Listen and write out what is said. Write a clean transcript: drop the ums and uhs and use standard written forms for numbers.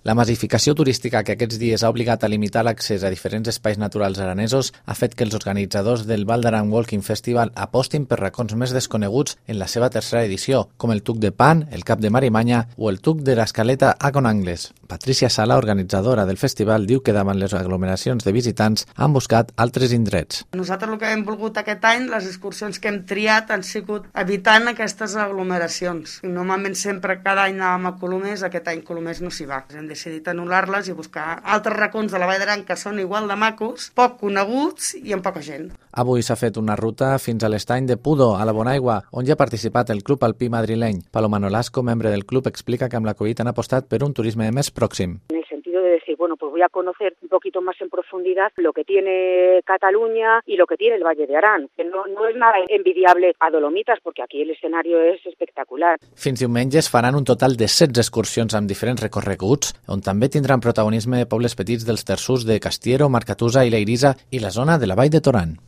La massificació turística que aquests dies ha obligat a limitar l'accés a diferents espais naturals aranesos ha fet que els organitzadors del Val d'Aran Walking Festival apostin per racons més desconeguts en la seva tercera edició, com el Tuc de Pan, el Cap de Marimanya o el Tuc de l'Escaleta a Conangles. Patricia Sala, organitzadora del festival, diu que davant les aglomeracions de visitants han buscat altres indrets. Nosaltres el que hem volgut aquest any, les excursions que hem triat han sigut evitant aquestes aglomeracions. Normalment sempre cada any anàvem a Colomers, aquest any Colomers no s'hi va. Hem decidit anul·lar-les i buscar altres racons de la Vall d'Aran que són igual de macos, poc coneguts i amb poca gent. Avui s'ha fet una ruta fins a l'estany de Pudo, a la Bonaigua, on ja ha participat el Club Alpí madrileny. Paloma Nolasco, membre del club, explica que amb la Covid han apostat per un turisme més pròxim. En el sentido de decir, bueno, pues voy a conocer un poquito más en profundidad lo que tiene Cataluña y lo que tiene el Valle de Arán, que no es nada envidiable a Dolomitas, porque aquí el escenario es espectacular. Fins diumenge es faran un total de 16 excursions amb diferents recorreguts, on també tindran protagonisme pobles petits dels terços de Castiero, Marcatusa i Leirisa i la zona de la Vall de Torán.